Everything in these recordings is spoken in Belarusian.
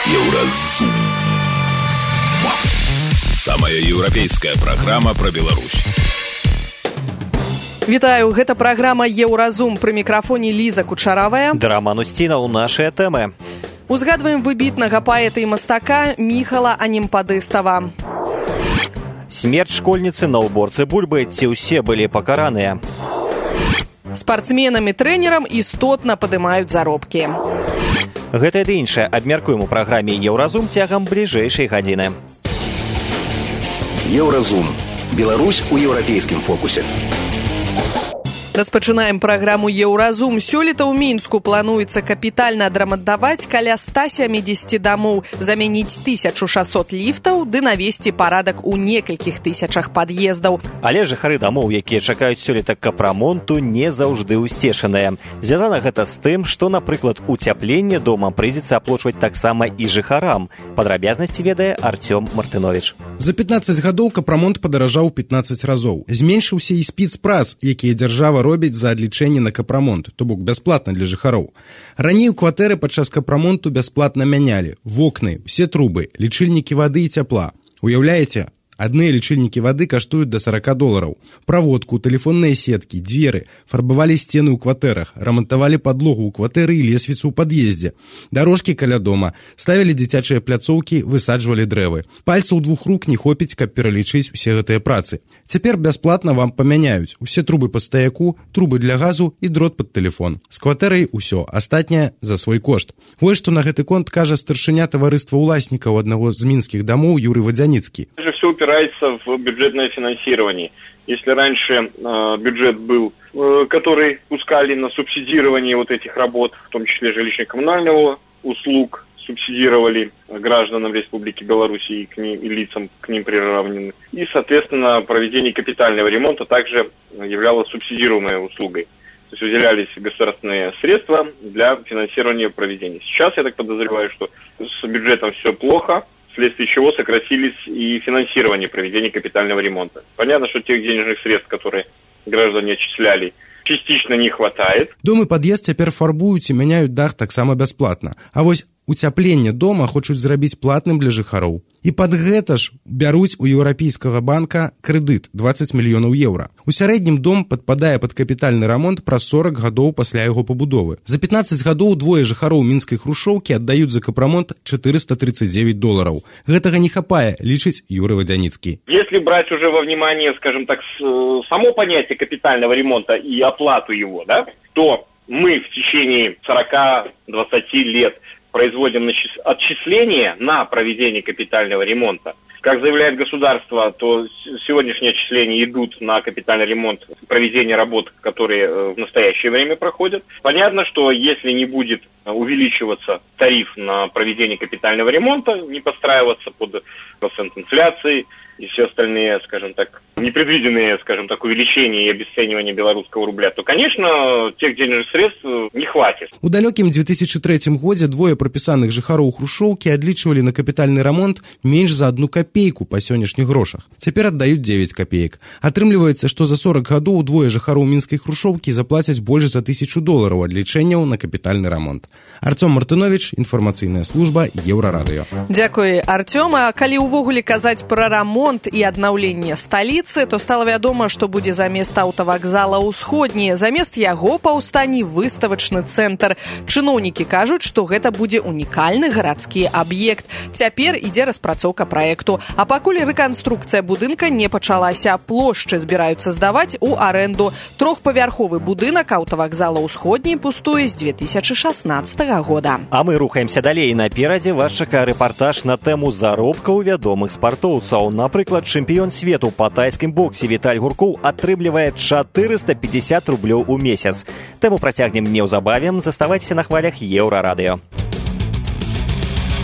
Еўразум. Самая еўрапейская праграма пра Беларусь. Вітаю, гэта праграма «Еўразум». Пры мікрафоне Ліза Кучаравая. Роман Устінаў, нашыя тэмы. Узгадваем выбітнага паэта і мастака Міхала Анемпадыстава. Смерць школьніцы на ўборцы бульбы, ці ўсе былі пакараныя. Спартсменам і трэнерам істотна падымаюць заробкі. Гэта і іншае абмяркуем у праграме «Еўразум» цягам бліжэйшай гадзіны. Еўразум. Беларусь у еўрапейскім фокусе. Распачынаем праграму «Еўразум». Сёлета ў Мінску плануецца капітальна адрамантаваць каля 170 дамоў, заменіць 1600 ліфтаў ды навесці парадак у некалькіх тысячах пад'ездаў. Але жыхары дамоў, якія чакаюць сёлета капрамонту, не заўжды ўсцешаныя. Звязана гэта з тым, што, напрыклад, уцяпленне дома прыйдзецца аплочваць таксама і жыхарам. Падрабязнасці ведае Артём Мартыновіч. За 15 гадоў капрамонт падаражаў 15 разоў. Зменшыўся і спецпрац, якія дзяржава робіць за адлічэнне на капрамонт, то бок бясплатна для жыхароў. Раней у кватэры падчас капрамонту бясплатна мянялі вокны, усе трубы, лічыльнікі вады і цяпла. Уяўляеце? Адныя лічыльнікі вады каштуюць да $40. Праводку, тэлефонныя сеткі, дзверы, фарбавалі сцены ў кватэрах, рамантавалі падлогу ў кватэры і лесвіцу ў пад'ездзе, дарожкі каля дома, ставілі дзіцячыя пляцоўкі, высаджвалі дрэвы. Пальцаў двух рук не хопіць, каб пералічыць усе гэтыя працы. Цяпер бясплатна вам памяняюць усе трубы па стаяку, трубы для газу і дрот пад тэлефон. З кватэрай усё, астатняе за свой кошт. Вось што на гэты конт кажа старшыня таварыства ўласнікаў аднаго з мінскіх дамоў Юрый Водзяніцкі. Все упирается в бюджетное финансирование. Если раньше бюджет был, который пускали на субсидирование вот этих работ, в том числе жилищно-коммунального услуг, субсидировали гражданам Республики Беларусь и лицам к ним приравнены. И, соответственно, проведение капитального ремонта также являлось субсидируемой услугой. То есть выделялись государственные средства для финансирования проведения. Сейчас, я так подозреваю, что с бюджетом все плохо, вследствие чего сократились и финансирование проведения капитального ремонта. Понятно, что тех денежных средств, которые граждане отчисляли, частично не хватает. Дом і пад'езд цяпер фарбуюць і мяняюць дах таксама бясплатна. А вось уцяпленне дома хочуць зрабіць платным для жыхароў. І пад гэта ж бяруць у еўрапейскага банка крэдыт 20 мільёнаў еўра. У сярэднім дом падпадае пад капітальны рамонт праз 40 гадоў пасля яго пабудовы. За 15 гадоў двое жыхароў мінскай хрушчоўкі аддаюць за капрамонт $439. Гэтага не хапае, лічыць Юрый Водзяніцкі. Если брать уже во внимание, скажем так, само понятие капитального ремонта и оплату его, да, то мы в течение 40-20 лет производим отчисления на проведение капитального ремонта. Как заявляет государство, то сегодняшние отчисления идут на капитальный ремонт, проведение работ, которые в настоящее время проходят. Понятно, что если не будет увеличиваться тариф на проведение капитального ремонта, не подстраиваться под процент инфляции и все остальные, скажем так, непредвиденные, скажем так, увеличения и обесценивания белорусского рубля, то, конечно, тех денежных средств не хватит. У далёкім 2003 годзе двое прапісаных жыхароў хрушчоўкі адлічвалі на капітальны рамонт менш за 1 копейку па сённяшніх грошах. Цяпер аддаюць 9 копеек. Атрымліваецца, што за 40 гадоў двое жыхароў мінскай хрушчоўкі заплацяць больш за $1000 адлічэнняў на капітальны рамонт. Артём Мартыновіч, інфармацыйная служба Еўрарадыё. Дзякуй, Артём. А калі ўвогуле казаць пра рамонт і аднаўленне сталіцы, то стала вядома, што будзе замест аўтавакзала ўсходні. Замест яго паўстане выставачны цэнтр. Чыноўнікі кажуць, што гэта будзе унікальны гарадскі аб'ект. Цяпер ідзе распрацоўка праекту. А пакуль рэканструкцыя будынка не пачалася, плошчы збіраюцца здаваць у арэнду. Трохпавярховы будынак аўтавакзала ўсходні пустуе з 2016 года. А мы рухаемся далей. Наперадзе вас чакае рэпартаж на тэму заробкаў вядомых спартоўцаў. Напрыклад, чэмпіён свету па тайскім боксе Віталь Гуркоў атрымлівае $450 у месяц. Тэму працягнем неўзабаве. Заставайцеся на хвалях Еўрарадыё.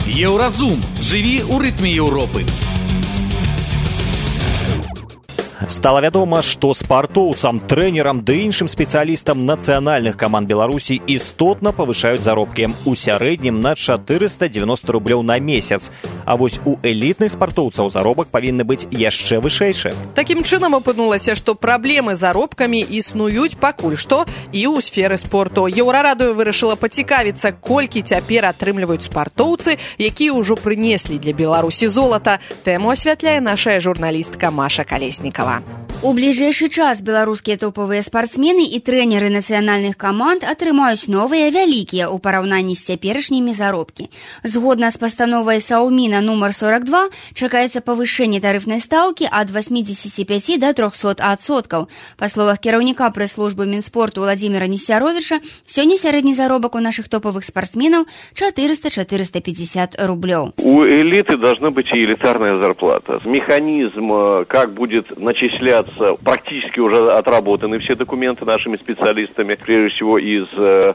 Еўразум. Жыві ў рытме Еўропы. Стала вядома, што спартоўцам, трэнерам ды іншым спецыялістам нацыянальных каманд Беларусі істотна павышаюць заробкі. У сярэднім на 490 рублёў на месяц. А вось у элітных спартоўцаў заробак павінны быць яшчэ вышэйшы. Такім чынам апынулася, што праблемы з заробкамі існуюць пакуль што і ў сферы спорту. Еўрарадыё вырашыла пацікавіцца, колькі цяпер атрымліваюць спартоўцы, якія ўжо прынеслі для Беларусі золата. Тэму асвятляе наша журналістка Маша Колесникова. У бліжэйшы час беларускія топавыя спартсмены і трэнеры нацыянальных каманд атрымаюць новыя вялікія ў параўнанні з цяперашнімі заробкі. Згодна з пастановай Саўміна нумар 42 чакаецца павышэнне тарыфнай стаўкі ад 85 до 300%. Па словах кіраўніка прэс-службы Мінспорту Владзіміра Несцяровіча, сёння сярэдні заробак у нашых топавых спартсменаў 400-450 рублёў. У элиты должна быть и элитарная зарплата. Механизм, как будет начисляться, практически уже отработаны все документы нашими специалистами, прежде всего из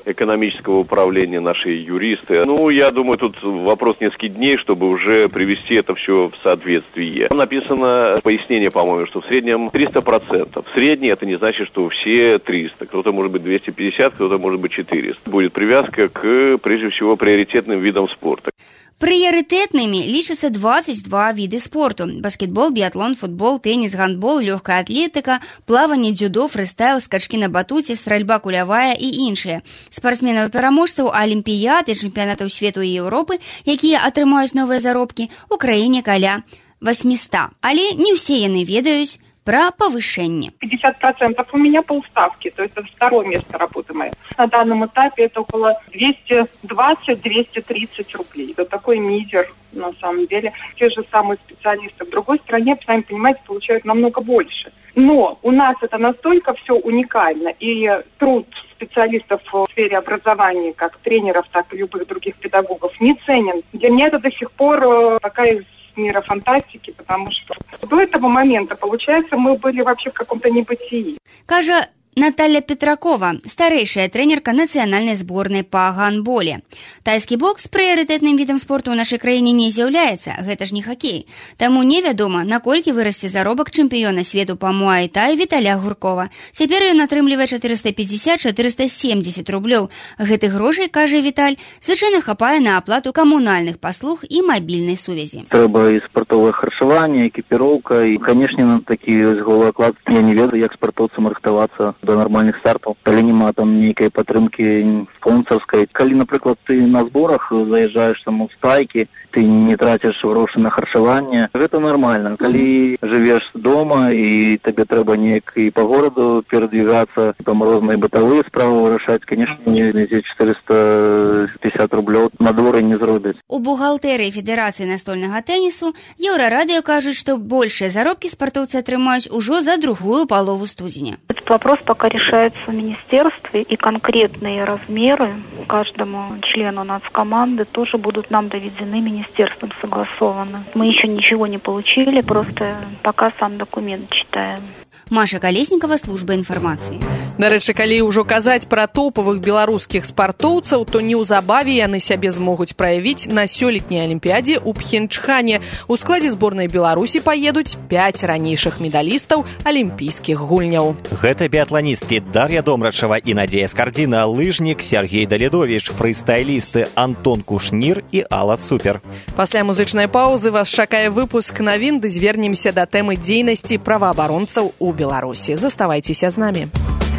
экономического управления, наши юристы. Я думаю, тут вопрос нескольких дней, чтобы уже привести это все в соответствие. Написано пояснение, по-моему, что в среднем 300%. В среднем это не значит, что все 300. Кто-то может быть 250, кто-то может быть 400. Будет привязка к, прежде всего, приоритетным видам спорта. Прыярытэтнымі лічацца 22 віды спорту: баскетбол, біятлон, футбол, тэніс, гандбол, лёгкая атлетыка, плаванне, дзюдо, фрыстайл, скачкі на батуце, стральба кулявая і іншыя. Спартсменаў-пераможцаў алімпіяд і чэмпіянатаў свету і Еўропы, якія атрымаюць новыя заробкі, у краіне каля 800. Але не ўсе яны ведаюць про повышение. 50% у меня полставки, то есть это второе место работы моей. На данном этапе это около 220-230 рублей. Это такой мизер, на самом деле. Те же самые специалисты в другой стране, сами понимаете, получают намного больше. Но у нас это настолько все уникально, и труд специалистов в сфере образования, как тренеров, так и любых других педагогов, не ценен. Для меня это до сих пор такая мира фантастики, потому что до этого момента, получается, мы были вообще в каком-то небытии. Кажа Наталья Петракова, старэйшая трэнерка нацыянальнай зборнай па гандболе. Тайскі бокс прыярытэтным відам спорту ў нашай краіне не з'яўляецца, гэта ж не хакей. Таму невядома, наколькі вырасце заробак чэмпіёна свету па муай-тай Віталя Гуркова. Цяпер ён атрымлівае 450-470 рублёў. Гэтых грошай, кажа Віталь, звычайна хапае на аплату камунальных паслуг і мабільнай сувязі. Трэба і спартовае харчаванне, экіпіроўка, і, канешне, на такі голы аклад я не ведаю, як спартоўцам рыхтавацца до нормальных стартаў, калі няма там нейкай падтрымкі спонсарскай. Калі, напрыклад, ты на зборах заязджаеш там у стайкі, ты не траціш грошы на харчаванне, гэта нормально. Калі жывеш дома і табе трэба неяк і па гораду перадвігацца, там розныя бытавыя справы вырашаць, конечно, не 450 рублёў на дворы не зробяць. У бухгалтэрыі Федэрацыі настольнага тэнісу Еўрарадыё кажуць, што большыя заробкі спартоўцы атрымаюць ужо за другую палову студзеня. Этот вопрос пока решается в министерстве, и конкретные размеры каждому члену нацкоманды тоже будут нам доведены министерством, согласованы. Мы еще ничего не получили, просто пока сам документ читаем. Маша Колесникова, служба інфармацыі. Дарэчы, калі ўжо казаць пра топавых беларускіх спартоўцаў, то неўзабаве яны сябе змогуць праявіць на сёлетняй алімпіядзе ў Пхенчхане. У складзе зборнай Беларусі паедуць 5 ранейшых медалістаў алімпійскіх гульняў. Гэта біятланісткі Дар'я Домрачева і Надзея Скардзіна, лыжнік Сергей Даледович, фрыстайлісты Антон Кушнір і Алла Цупер. Пасля музычнай паўзы вас чакае выпуск навін, ды звернемся да тэмы дзейнасці праваабаронцаў у Беларусі. Заставайцеся з намі.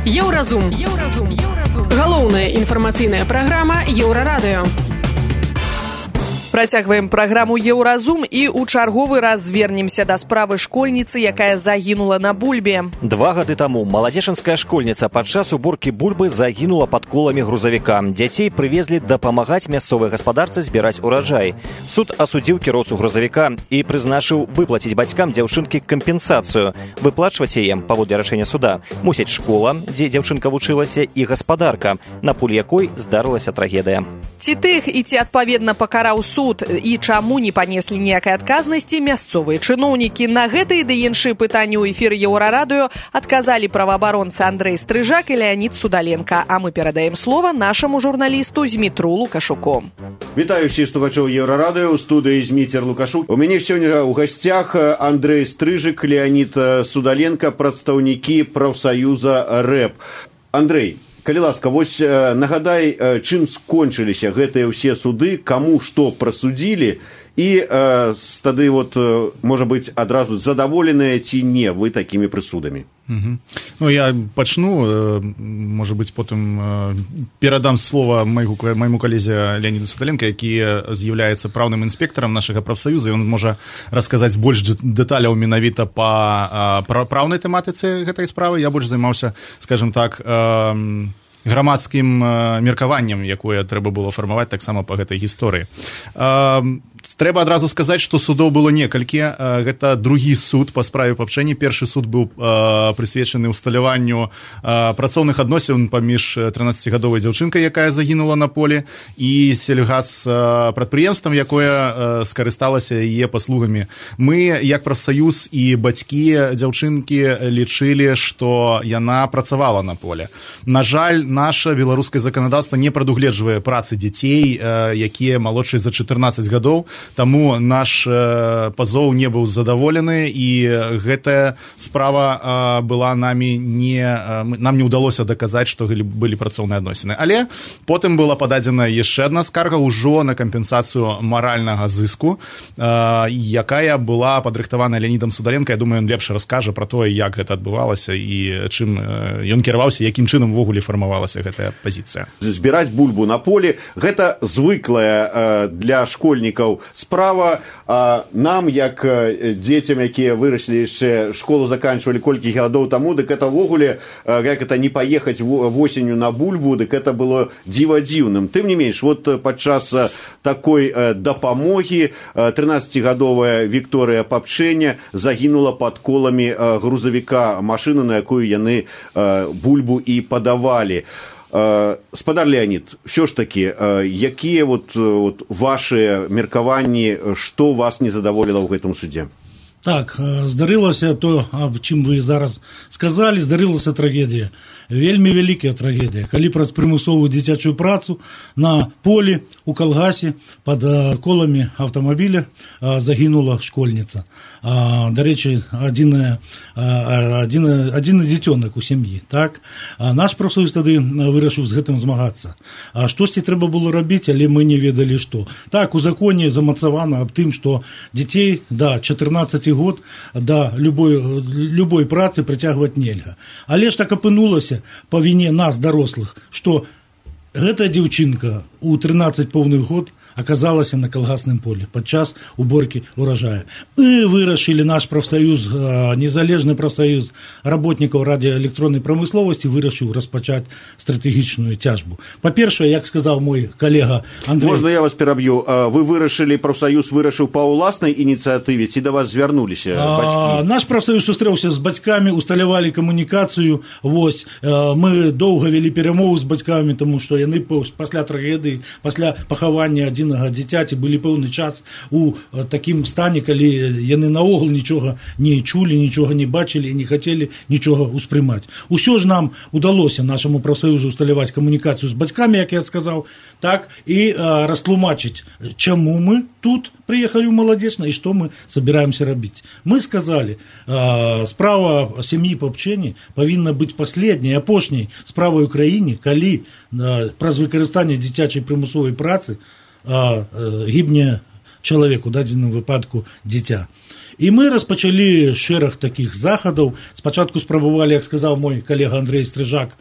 Еўразум. Галоўная інфармацыйная праграма Еўрарадыё. Працягваем праграму «Еўразум» і ў чарговы раз звернемся да справы школьніцы, якая загінула на бульбе. 2 гады таму маладзечанская школьніца падчас уборкі бульбы загінула пад коламі грузавіка. Дзяцей прывезлі дапамагаць мясцовай гаспадарцы збіраць ураджай. Суд асудзіў кіроўцу грузавіка і прызначыў выплаціць бацькам дзяўчынкі кампенсацыю. Выплачваць яе, паводле рашэння суда, мусіць школа, дзе дзяўчынка вучылася, і гаспадарка, на пуль якой здарылася трагедыя. Ці тых і ці адпаведна пакараў суд суд і чаму не панеслі ніякай адказнасці мясцовыя чыноўнікі? На гэтыя ды іншыя пытанні ў эфіры Еўрарадыё адказалі праваабаронцы Андрэй Стрыжак і Леонид Судаленко. А мы перадаем слова нашаму журналісту Змітру Лукашуку. Вітаю всіх слухачоў Еўрарадыё, у студыі Зміцер Лукашук. У мяне сёння ў гасцях Андрэй Стрыжак, Леонид Судаленко, прадстаўнікі прафсаюза РЭП. Андрэй, калі ласка, вось нагадай, чым скончыліся гэтыя ўсе суды, каму што прасудзілі, і тады, можа быць, адразу задаволеныя ці не вы такімі прысудамі? Ну, я пачну, можа быць, потым перадам слова майму калезе Леониду Судаленко, які з'яўляецца праўным інспектарам нашага прафсаюза, і ён можа расказаць больш дэталяў менавіта па праўнай тэматыцы гэтай справы. Я больш займаўся, скажем так, грамадскім меркаваннем, якое трэба было фармаваць таксама па гэтай гісторыі. Трэба адразу сказаць, што судоў было некалькі. Гэта другі суд па справе папчэнні. Першы суд быў прысвечаны ўсталяванню працоўных адносін паміж 13-гадовай дзяўчынкай, якая загінула на полі, і сельгазпрадпрыемствам, якое скарысталася яе паслугамі. Мы, як прафсаюз і бацькі дзяўчынкі, лічылі, што яна працавала на поле. На жаль, наша беларускае заканадаўства не прадугледжвае працы дзяцей, якія малодшыя за 14 гадоў. Таму наш пазоў не быў задаволены, і гэтая справа была нам не ўдалося даказаць, што былі працоўныя адносіны. Але потым была пададзена яшчэ адна скарга ўжо на кампенсацыю маральнага зыску, якая была падрыхтавана Леонидом Судаленко. Я думаю, ён лепш раскажа пра тое, як гэта адбывалася і чым ён кіраваўся, якім чынам увогуле фармавалася гэтая пазіцыя. Збіраць бульбу на полі – гэта звыклая для школьнікаў справа. Нам, як дзецям, якія выраслі яшчэ, школу заканчвалі колькі гадоў таму, дык это ўвогуле, як это не паехаць восенню на бульбу, дык это было дзіва-дзіўным. Тым не менш, падчас такой дапамогі 13-гадовая Вікторыя Папчэня загінула пад коламі грузавіка, машыну, на якую яны бульбу і падавалі. Спадар Леонид, все ж таки, якія ваши меркаванні, што вас не задаволіла ў гэтым судзе? Так, здарылася то, аб чым вы зараз сказалі, здарылася трагедыя. Вельмі вялікая трагедыя. Калі праз прымусовую дзіцячую працу на полі у калгасе пад коламі аўтамабіля загінула школьніца. Дарэчы, адзіны дзіцёнак у сям'і. Так? Наш прафсаюз тады вырашыў з гэтым змагацца. Штосьці трэба было рабіць, але мы не ведалі што. Так, у законе замацавана аб тым, што дзяцей да 14 год да любой працы прыцягваць нельга. Але ж так апынулася па віне нас, дарослых, што гэтая дзяўчынка у 13 поўных год аказалася на калгасным полі падчас уборкі ўражая. Мы вырашылі, наш прафсаюз, незалежны прафсаюз работнікаў радыёэлектроннай прамысловасці вырашыў распачаць стратэгічную цяжбу. Па-першае, як сказаў мой калега Андрэй... Можна я вас пераб'ю? Вы вырашылі, прафсаюз вырашыў па ўласнай ініцыятыве, ці да вас звярнуліся бацькі? Наш прафсаюз сустрэўся з бацькамі, усталявалі камунікацыю. Мы доўга вялі перамовы з бацькамі, таму што яны пасля трагедыі, пасля пахавання адзінага дзіцяці былі пэўны час у такім стане, калі яны наогул нічога не чулі, нічога не бачылі і не хацелі нічога ўспрымаць. Усё ж нам удалося нашаму прафсаюзу усталяваць камунікацыю з бацькамі, як я сказаў, так, і растлумачыць, чаму мы тут прыехалі ў Маладзечна і што мы собираемся рабіць. Мы сказалі, справа сям'і Папчэні павінна быць паследняй, апошняй справай у краіне, калі праз выкарыстанне дзіцячай прымусовай працы гібне чалавек, у дадзеным выпадку дзіця. І мы распачалі шэраг такіх захадаў. Спачатку спрабавалі, як сказаў мой калега Андрэй Стрыжак,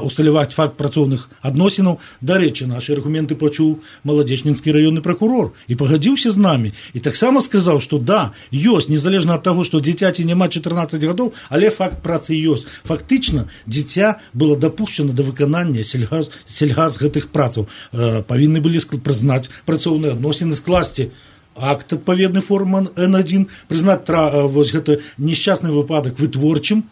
усталяваць факт працоўных адносінаў. Дарэчы, нашы аргументы пачуў маладзечнінскі раённы пракурор і пагадзіўся з намі. І таксама сказаў, што да, ёсць, незалежна ад таго, што дзіцяці няма 14 гадоў, але факт працы ёсць. Фактычна, дзіця было дапушчана да выканання сельгаз гэтых працаў. Павінны былі прызнаць працоўныя адносіны, скласці акт адпаведны форма N1, прызнаць гэты несчастны выпадак вытворчым,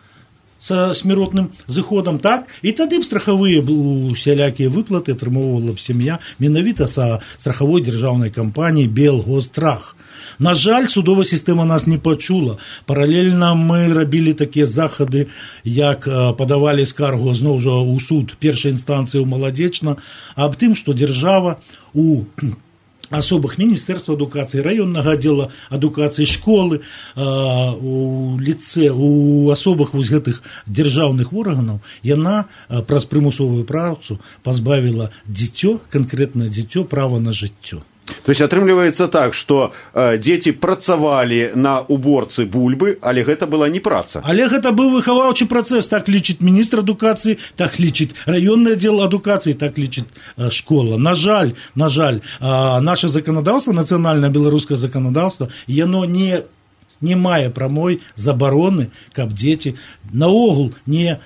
са смяротным зыходам, так, і тады б страхавыя усялякія выплаты атрымоўвала б сям'я менавіта са страхавой дзяржаўнай кампаніі Белгострах. На жаль, судовая сістэма нас не пачула. Паралельна мы рабілі такія захады, як падавалі скаргу зноў жа ў суд першай інстанцыі ў Маладзечна аб тым, што дзяржава у асобах Міністэрства адукацыі, раённага аддзела адукацыі, школы, у ліцэ, у асобах вось гэтых дзяржаўных органаў, яна праз прымусовую працу пазбавіла дзіцё, канкрэтнае дзіцё, права на жыццё. То есть атрымліваецца так, што дзеці працавалі на уборцы бульбы, але гэта была не праца. Але гэта быў выхаваўчы працэс, так лічыць міністр адукацыі, так лічыць раённы аддзел адукацыі, так лічыць школа. На жаль, наше заканадаўства, нацыянальнае беларускае заканадаўства, яно не мае прамой забароны, каб дзеці наогул не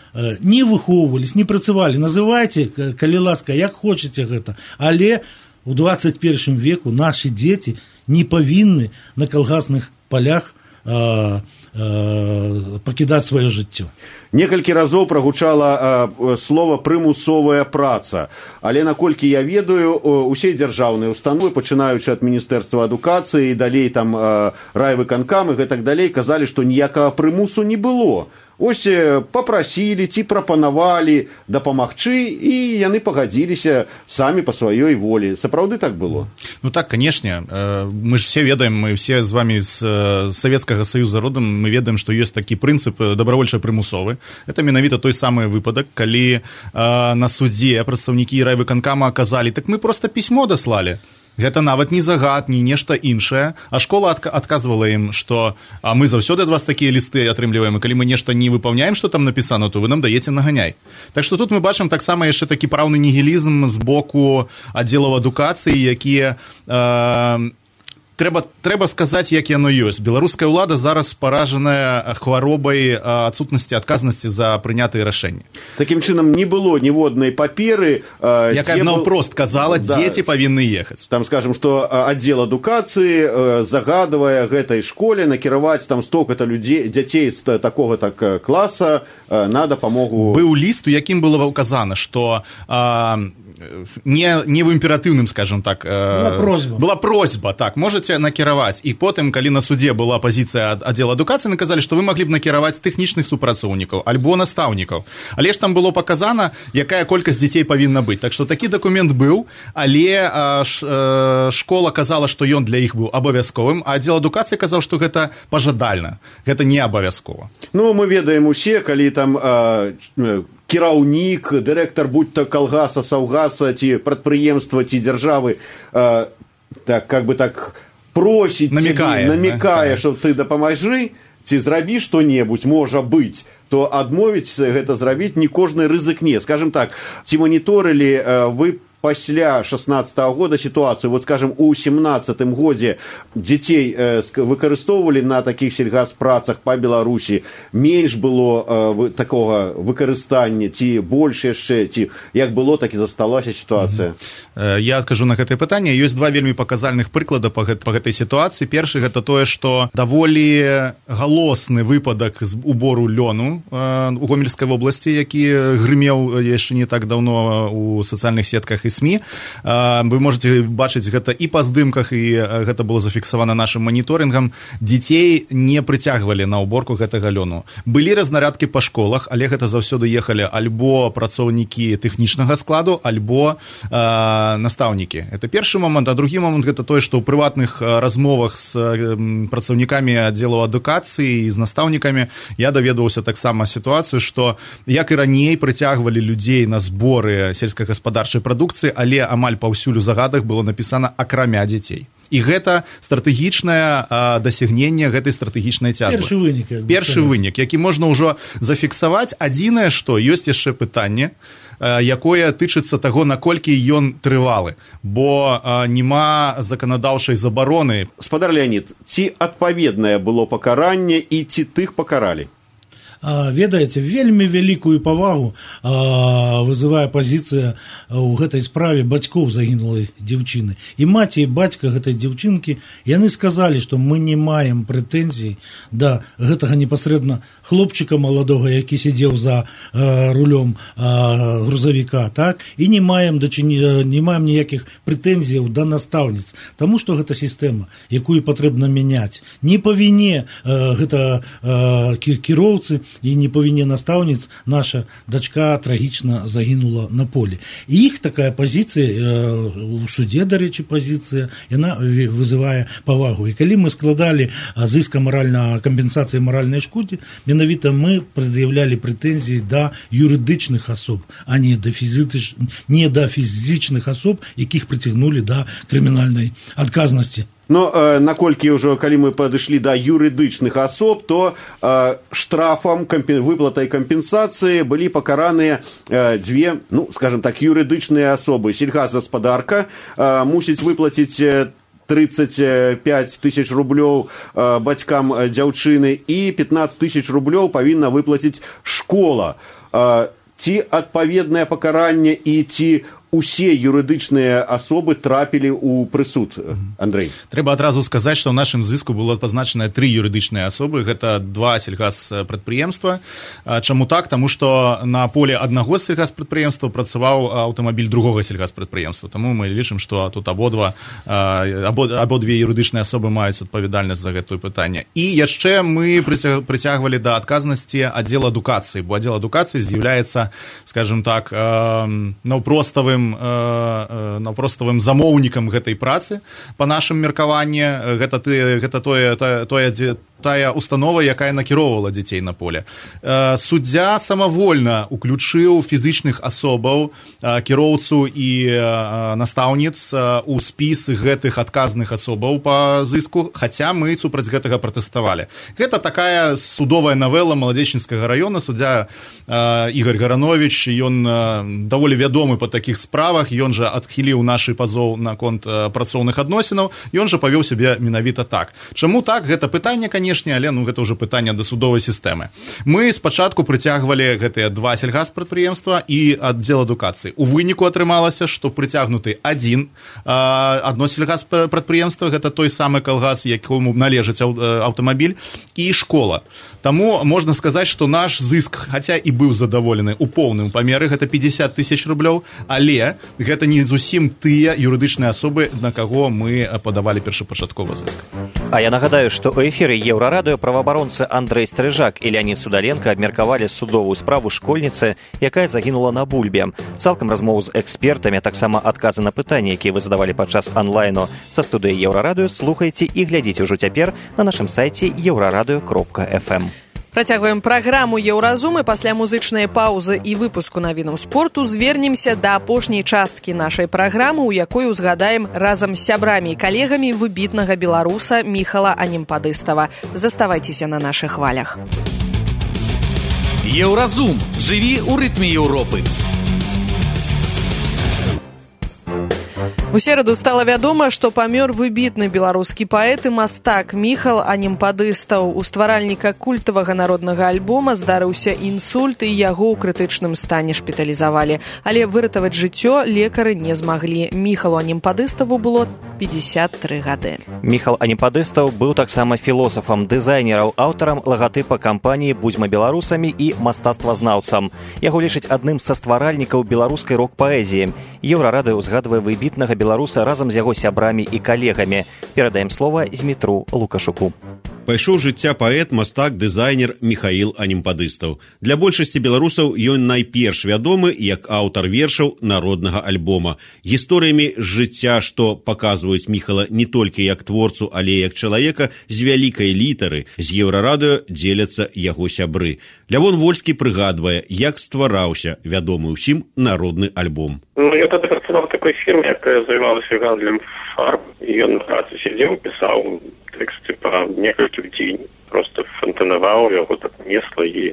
выхоўвались, не працавалі. Называйце, калі ласка, як хочаце гэта, але у 21 веку нашы дзеці не павінны на калгасных палях пакідаць сваё жыццё. Некалькі разоў прагучала слова прымусовая праца, але наколькі я ведаю, усе дзяржаўныя установы, пачынаючы ад Міністэрства адукацыі і далей там райвыканкам і гэтак далей, казалі, што ніякага прымусу не было. Ось папрасілі ці прапанавалі дапамагчы, і яны пагадзіліся самі па сваёй волі. Сапраўды так было? Ну так, канешне. Мы ж все ведаем, мы все з вами з Савецкага Саюза родам, мы ведаем, што ёсць такі прынцып добравольча-прымусовы. Это менавіта той самы выпадак, калі на судзе прадстаўнікі райвыканкама казалі, так мы проста пісьмо даслалі. Гэта нават не загад, не нешта іншае, а школа адказвала ім, што мы заўсёды ад вас такія лісты атрымліваем, і калі мы нешта не выпаўняем, што там напісана, то вы нам даеце наганяй. Так што тут мы бачым таксама яшчэ такі праўны нігілізм з боку аддзелаў адукацыі, якія трэба сказаць, як яно ёсць. Беларуская ўлада зараз паражаная хваробай адсутнасці адказнасці за прынятыя рашэнні. Такім чынам, не было ніводнай паперы, якая наўпрост казала, дзеці павінны ехаць. Там скажем, што аддзел адукацыі загадвае гэтай школе накіраваць там столько-то дзяцей з такога-то класа на дапамогу. Быў ліст, у якім было указана, што не в імператыўным, скажем так, была просьба, так, можете накіраваць. І потым, калі на суде была пазіцыя аддзела адукацыі, наказалі, што вы маглі б накіраваць тэхнічных супрацоўнікаў альбо настаўнікаў. Але ж там было паказана, якая колькасць дзяцей павінна быць. Так што такі дакумент быў, але школа казала, што ён для іх быў абавязковым, а аддзел адукацыі казаў, што гэта пажадальна, гэта не абавязкова. Ну, мы ведаем усе, калі там кіраўнік, дырэктар будь-то калгаса, саўгаса, ці прадпрыемства, ці дзяржавы, так, как бы так просіць, намекае, што ты дапамажы, ці зрабі што-небудзь, можа быць, то адмовіць гэта зрабіць не кожны рызыкне. Скажем так, ці маніторылі вы пасля 16-го года ситуацию, вот скажем, у 17-м годзе дзяцей выкарыстоўвалі на такіх сельгаспрацах па Беларусі, менш было такога выкарыстання, ці больш яшчэ, ці як было, так і засталася сітуацыя? Я адкажу на гэтае пытанне. Ёсць два вельмі паказальных прыклада па гэтай сітуацыі. Першы гэта тое, што даволі галосны выпадак з убору лёну у Гомельскай вобласці, які грымеў яшчэ не так даўно у сацыяльных сетках і СМІ. Вы можете бачыць гэта і па здымках, і гэта было зафіксавана нашым маніторынгам. Дзяцей не прыцягвалі на уборку гэтага лёну. Былі разнарядкі па школах, але гэта заўсёды ехалі альбо працоўнікі тэхнічнага складу, альбо настаўнікі. Это першы момант. А другі момант гэта тое, што ў прыватных размовах з працаўнікамі аддзелаў адукацыі і з настаўнікамі я даведаваўся таксама сітуацыю, што як і раней прыцягвалі людзей на зборы сельскагаспадарчай прадукцыі, але амаль паўсюль у загадах было напісана акрамя дзяцей. І гэта стратэгічнае дасягненне гэтай стратэгічнай цяжбы. Першы вынік, які можна ўжо зафіксаваць. Адзінае, што ёсць яшчэ пытанне, якое тычыцца таго, наколькі ён трывалы, бо нема заканадаўчай забароны. Спадар Леонид, ці адпаведнае было пакаранне і ці тых пакаралі? ведаеце, вельмі вялікую павагу вызывае пазіцыя ў гэтай справе бацькоў загінулай дзяўчыны. І маці і бацька гэтай дзяўчынкі, яны сказалі, што мы не маем прэтэнзій да гэтага непасрэдна хлопчыка маладога, які сидзеў за рулём грузавіка, так? І не маем ніякіх прэтэнзіяў да настаўніц, таму што гэта сістэма, якую патрэбна мяняць. Не па віне гэта кіроўцы і не па віне настаўніц наша дачка трагічна загінула на полі. І іх такая пазіцыя, у суде, дарэчы, пазіцыя, яна вызывае павагу. І калі мы складалі з іска кампенсацыі маральнай шкоды, менавіта мы прад'яўлялі прэтэнзіі да юрыдычных асоб, а не да фізічных асоб, якіх прыцягнулі да крымінальнай адказнасці. Но наколькі ўжо, калі мы падышлі да юрыдычных асоб, то штрафам, выплатай кампенсацыі былі пакараныя дзве, скажем так, юрыдычныя асобы. Сельгазгаспадарка мусіць выплаціць 35 тысяч рублёў бацькам дзяўчыны і 15 тысяч рублёў павінна выплаціць школа. Ці адпаведнае пакаранне і ці усе юрыдычныя асобы трапілі ў прысуд, Андрэй? Трэба адразу сказаць, што ў нашым зыску было пазначаныя 3 юрыдычныя асобы. Гэта 2 сельгазпрадпрыемства. Чаму так? Таму што на поле аднаго з сельгазпрадпрыемства працаваў аўтамабіль другога сельгазпрадпрыемства. Таму мы лічым, што тут абодве юрыдычныя асобы маюць адпавядальнасць за гэтае пытанне. І яшчэ мы прыцягвалі да адказнасці аддзел адукацыі, бо аддзел адукацыі з'яўляецца, скажем так, простовым замоўнікам гэтай працы па нашым меркаванні. Гэта тая установа, якая накіроўвала дзяцей на поле. Суддзя самавольна уключыў фізічных асобаў, кіроўцу і настаўніц у спіс гэтых адказных асобаў па зыску, хаця мы супраць гэтага пратэставалі. Гэта такая судовая навела Маладзечынскага раёна. Суддзя Ігор Гаранович, ён даволі вядомы па такіх справах, ён жа адхіліў нашы пазоў наконт працоўных адносінаў, ён жа павёў сябе менавіта так. Чаму так? Гэта пытанне, канешне, але гэта ўжо пытанне да судовай сістэмы. Мы спачатку прыцягвалі гэтыя 2 сельгазпрадпрыемства і аддзел адукацыі. У выніку атрымалася, што прыцягнуты адно сельгазпрадпрыемства, гэта той самы калгас, якому належыць аўтамабіль, і школа. Таму можна сказаць, што наш зыск, хаця і быў задаволены ў поўным памеры, гэта 50 тысяч рублёў, але гэта не зусім тыя юрыдычныя асобы, на каго мы падавалі першапачатковы зыск. А я нагадаю, што ў эфіры Еўрарадыё праваабаронцы Андрэй Стрыжак і Леонід Судаленко абмеркавалі судовую справу школьніцы, якая загінула на бульбе. Цалкам размову з экспертамі, таксама адказы на пытанні, якія вы задавалі падчас онлайну са студыі Еўрарадыё, слухайце і глядзіце ўжо цяпер на нашым сайце euraradыё.fm. Працягваем праграму «Еўразум» і пасля музычнай паўзы і выпуску навінаў спорту звернемся да апошняй часткі нашай праграмы, у якой узгадаем разам з сябрамі і калегамі выбітнага беларуса Міхала Анімпадыстава. Заставайцеся на нашых хвалях. «Еўразум» – жыві ў рытме Еўропы. У сераду стала вядома, што памёр выбітны беларускі паэт і мастак Міхал Анімпадыстаў. У стваральніка культавага народнага альбома здарыўся інсульт, і яго ў крытычным стане шпіталізавалі. Але выратаваць жыццё лекары не змаглі. Міхалу Анімпадыставу было 53 гады. Міхал Анімпадыстаў быў таксама філосафам, дызайнерам, аўтарам лагатыпа кампаніі «Будзьма беларусамі» і мастацтвазнаўцам. Яго лічаць адным са стваральнікаў беларускай рок-паэзіі. Еўрарадыё узгадвае выбітнага беларуса разам з яго сябрамі і калегамі. Перадаем слова Змітру Лукашуку. Пайшоў жыцця паэт, мастак, дызайнер Міхаіл Анімпадыстаў. Для большасці беларусаў ён найперш вядомы як аўтар вершаў народнага альбома. Гісторыямі з жыцця, што паказваюць Міхала не толькі як творцу, але як чалавека з вялікай літары, з Еўрарадыё дзеляцца яго сябры. Лявон Вольскі прыгадвае, як ствараўся вядомы ўсім народны альбом. Я тады працаваў в такой фірме, якая займалася гандлем фарб, і ён на працы сидзеў, пісаў тэксты па некалькі дзень, просто фантанаваў, яго так несла і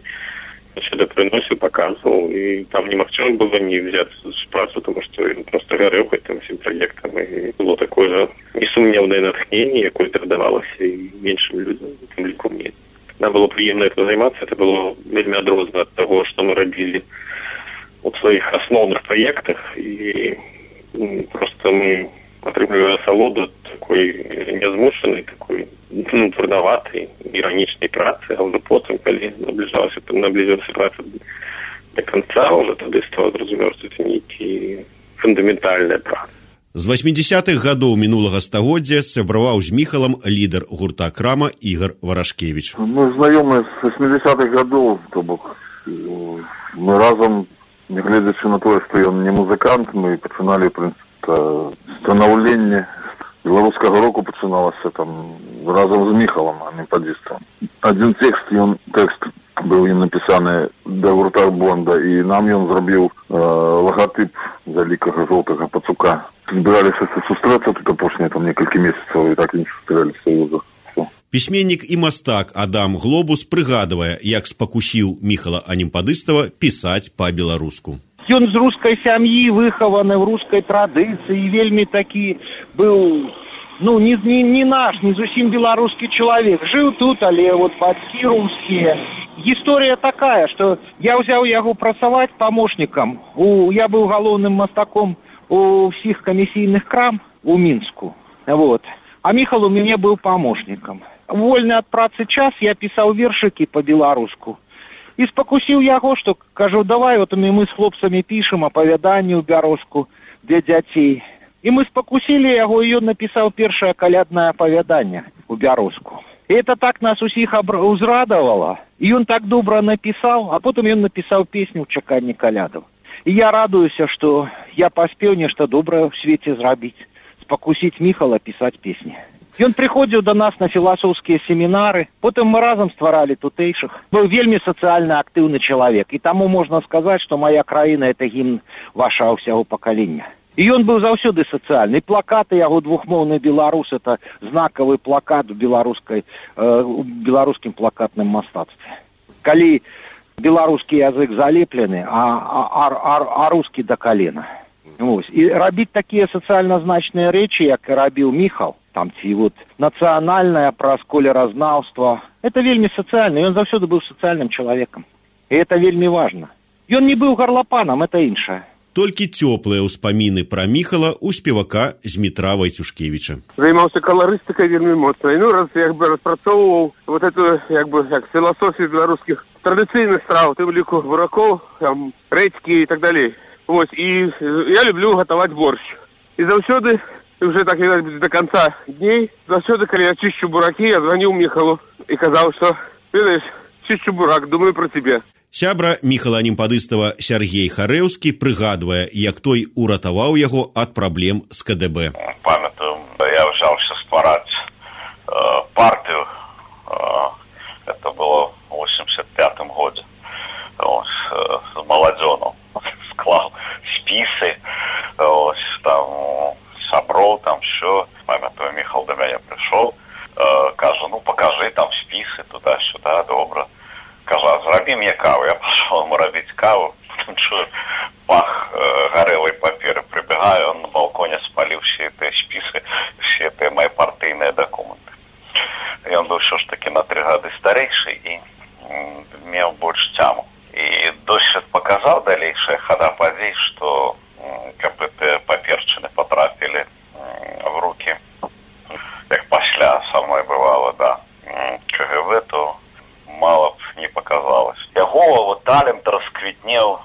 сюда прыносіў, паказваў, і там немагчыма было не взяць з працу, тому што ён просто гарэў гэтым всім праектам, і было такое несумнеўнае натхненне, якое перадавалася і меншым людзям, тым ліку мне. нам было приемно это заниматься, это было вельмі адрозна от того, что мы робили в своих основных проектах, и просто мы атрымліваем асалоду такой нязмушанай, такой трудаватай, іранічнай працы, а ўжо потым, калі наблізілася праца до конца, уже тады стало зразумеў, што это нейкі фундаментальная праца. З 80-х гадоў мінулага стагоддзя сябраваў з Міхалам лідар гурта «Крама» Ігор Варашкевіч. Мы знаёмы з 80-х гадоў, то бок мы разам, нягледзячы на тое, што ён не музыкант, мы пачыналі, в прынцыпе, станаўленне беларускага року пачыналася там разам з Міхалам, анімпадыстам. Адзін тэкст быў ім напісаны да гурта «Бонда», і нам ён зрабіў лагатып вялікага жоўтага пацука. Збіраліся сустрэцца тут апошнія там некалькі месяцаў, і так і не сустрэліся ўжо. Пісьменнік і мастак Адам Глобус прыгадвае, як спакусіў Міхала Анімпадыстава пісаць па-беларуску. Ён з рускай сям'і, выхаваны в рускай традыцыі, вельмі такі быў, не наш, не зусім беларускі чалавек. Жыў тут, але вот бацькі рускія. Гісторыя такая, што я ўзяў яго працаваць памочнікам. Я быў галоўным мастаком у всіх камісійных крам у Мінску. Вот. А Міхал у мяне быў памочнікам. Вольны ад працы час я пісаў вершыкі па-беларуску. І спакусіў яго, што, кажу, давай, вот мы з хлопцамі пішам апавяданні ў бярозку для дзяцей. І мы спакусілі яго, і ён напісаў першае каляднае апавяданне ў бярозку. І это так нас усіх узрадавала. І ён так добра напісаў, а потым ён напісаў песню ў чаканні калядаў. І я радуюся, што я паспеў нешта добрае ў свеце зрабіць, спакусіць Міхала пісаць песні. Ён прыходзіў да нас на філасофскія семінары, потым мы разам стваралі тутэйшых. Быў вельмі сацыяльна актыўны чалавек, і таму можна сказаць, што мая краіна – это гімн вашага ўсяго пакалення. І ён быў заўсёды сацыяльны. Плакаты яго «Двухмоўны беларус» – это знакавы плакат у беларускім плакатным мастацтве. Калі беларускі язык залеплены, а рускі да калена. І рабіць такія сацыяльна значныя рэчы, як рабіў Міхал, там ці вот нацыянальнае праз колеразнаўства, это вельмі сацыяльна, ён заўсёды быў сацыяльным чалавекам. І это вельмі важна. Ён не быў гарлапанам, это іншае. Толькі цёплыя ўспаміны пра Міхала ў спевака Змітра Вайцюшкевіча. Займаўся каларыстыкай вельмі моцна. Раз распрацоўваў вот эту філасофію беларускіх традыцыйных страў, тым ліку буракоў, рэдзькі і так далей. І я люблю гатаваць борщ. І заўсёды, уже так до конца дней, заўсёды, калі я чышчу буракі, я званіў Міхалу і казаў, што, ведаеш, чышчу бурак, думаю про тебе. Сябра Міхала Анімпадыстава Сяргей Харэўскі прыгадвае, як той уратаваў яго ад праблем з КДБ. Памятаю, я взялся ствараць партию, это было в 85-м году, с молодёном. Склал спісы, там саброў, там все. Памятаю, Міхал до мяне прыйшоў, кажа, покажи там спісы туда-сюда, добра. Кажа, зрабі мне каву. Я пошел ему робить каву, чую пах горелой паперы, прибегаю, он на балконе спалил все эти списы, все эти мои партийные документы. И он был все ж таки на 3 года старейший и имел больше тяму. И досыць показал дальнейшая хода подей, что эти паперчины потрапили в руки, как пасля со мной бывало, да, КГБ, то мало б не показалось. Яго талент расквітнеў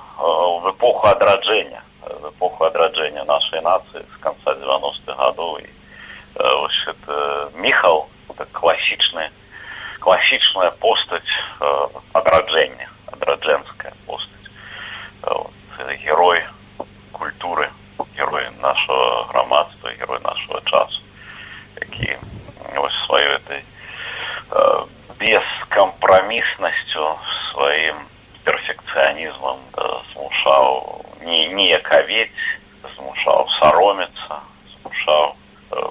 в эпоху адраджэння нашей нации с конца 90-х годов. И Міхал – это классичная постать адраджэння, адраджэнская постать. Герой культуры, герой нашего громадства, герой нашего часу, які свою этой бескомпромиссностью, своим перфекционизмом змушаў не яковеть, змушаў саромиться, змушаў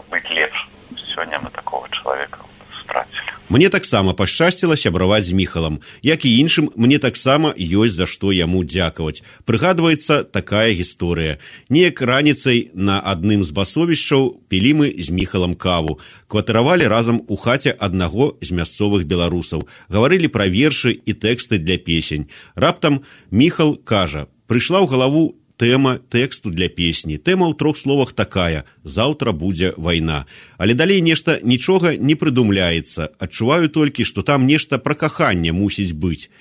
быть лепшим. Сегодня мы такого человека стратили. Мне таксама пашчасціла сябраваць з Міхалам. Як і іншым, мне таксама ёсць за што яму дзякаваць. Прыгадваецца такая гісторыя. Неяк раніцай на адным з басовішчаў пілі мы з Міхалам каву. Кватаравалі разам у хаце аднаго з мясцовых беларусаў. Гаварылі пра вершы і тэксты для песень. Раптам Міхал кажа: прыйшла ў галаву тэма тэксту для песні. Тэма ў 3 словах такая: заўтра будзе вайна. Але далей нешта нічога не прыдумляецца. Адчуваю толькі, што там нешта пра каханне мусіць быць.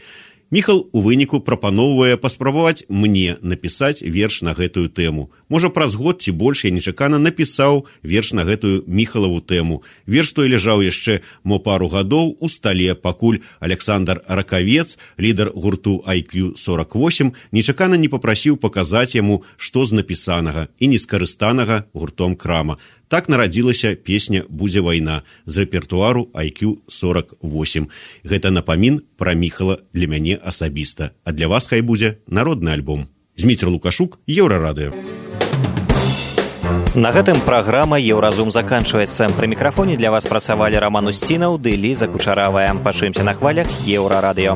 Міхал у выніку прапаноўвае паспрабаваць мне напісаць верш на гэтую тэму. Можа, праз год ці больш я нечакана напісаў верш на гэтую Міхалаву тэму. Верш той ляжаў яшчэ мо пару гадоў у стале, пакуль Александр Ракавец, лідар гурту IQ48, нечакана не папрасіў паказаць яму, што з напісанага і нескарыстанага гуртом крама. Так нарадзілася песня «Будзе вайна» з рэпертуару IQ48. Гэта напамін пра Міхала для мяне асабіста. А для вас хай будзе народны альбом. Зміцер Лукашук, Еўрарадыё. На гэтым праграма «Еўразум» заканчваецца. Пры мікрафоне для вас працавалі Роман Устінаў ды Ліза Кучаравая. Пачуемся на хвалях Еўрарадыё.